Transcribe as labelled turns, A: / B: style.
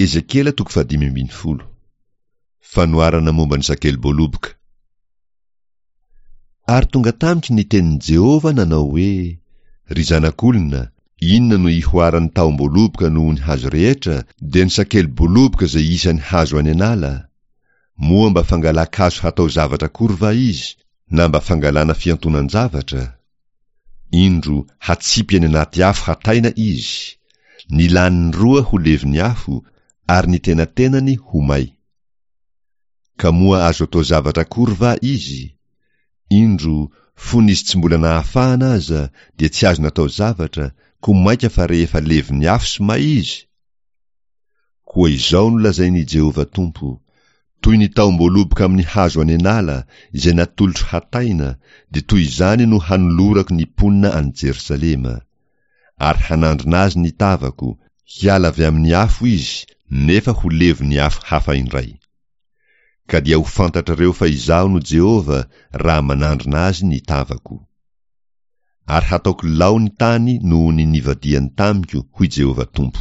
A: Ezekiela toko fahadimy ambin'ny folo. Fanoharana momba ny sakeli-boaloboka. Ary tonga tamiko ny tenin'i Jehovah nanao hoe, Ry zanak'olona, inona no ihoaran'ny tahom-boaloboka noho ny hazo rehetra, dia ny sakeli-boaloboka izay isan'ny hazo any an'ala? Moa mba fangalan-kazo hatao zavatra akory va izy, na mba fangalana fiantonan-javatra? Indro, hatsipy any anaty afo hataina izy, ny laniny roa ho levon'ny afo, ary ny tenatenany ho may. Ka moa azo atao zavatra akory va izy? Indro, fony izy tsy mbola nahafahana aza, dia tsy azo natao zavatra, koa mainka fa rehefa levon'ny afo sy may izy? Koa izao no lazain'i Jehovah Tompo, Toy ny tahom-boaloboka amin'ny hazo any an'ala, izay natolotro hataina, dia toy izany no hanolorako ny mponina any Jerosalema. Ary hanandrina azy ny tavako, hiala avy amin'ny afo izy, nefa ho levon'ny afo hafa indray. Ka dia ho fantatrareo fa Izaho no Jehovah, raha manandrina azy ny tavako. Ary hataoko lao ny tany noho ny nivadihany tamiko, hoy Jehovah Tompo.